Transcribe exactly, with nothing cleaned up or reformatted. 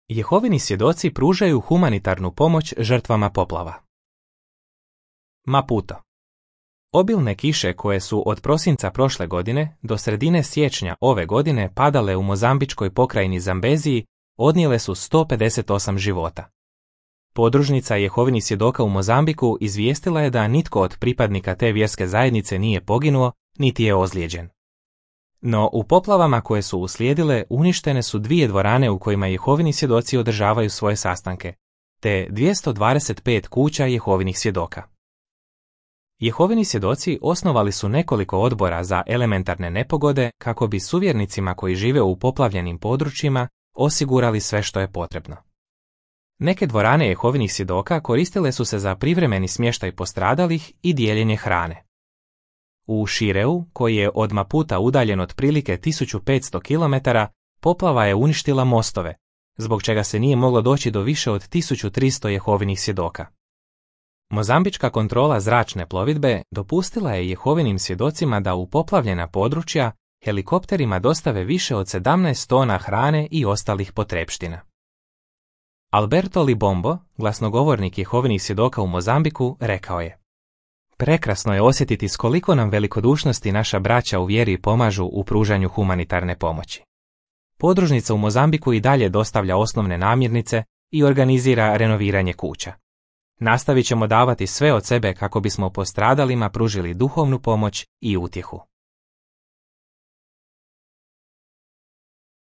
Jehovini svjedoci pružaju humanitarnu pomoć žrtvama poplava. Maputo. Obilne kiše koje su od prosinca prošle godine do sredine siječnja ove godine padale u mozambičkoj pokrajini Zambeziji odnijele su sto pedeset osam života. Podružnica Jehovinih svjedoka u Mozambiku izvijestila je da nitko od pripadnika te vjerske zajednice nije poginuo, niti je ozlijeđen. No u poplavama koje su uslijedile uništene su dvije dvorane u kojima Jehovini svjedoci održavaju svoje sastanke, te dvjesto dvadeset pet kuća Jehovinih svjedoka. Jehovini svjedoci osnovali su nekoliko odbora za elementarne nepogode kako bi suvjernicima koji žive u poplavljenim područjima osigurali sve što je potrebno. Neke dvorane Jehovinih svjedoka koristile su se za privremeni smještaj postradalih i dijeljenje hrane. U Šireu, koji je od Maputa udaljen otprilike tisuću petsto kilometara, poplava je uništila mostove, zbog čega se nije moglo doći do više od tisuću tristo Jehovinih svjedoka. Mozambička kontrola zračne plovidbe dopustila je Jehovinim svjedocima da u poplavljena područja helikopterima dostave više od sedamnaest tona hrane i ostalih potrepština. Alberto Libombo, glasnogovornik Jehovinih svjedoka u Mozambiku, rekao je: Prekrasno je osjetiti s koliko nam velikodušnosti naša braća u vjeri pomažu u pružanju humanitarne pomoći. Podružnica u Mozambiku i dalje dostavlja osnovne namirnice i organizira renoviranje kuća. Nastavit ćemo davati sve od sebe kako bismo postradalima pružili duhovnu pomoć i utjehu.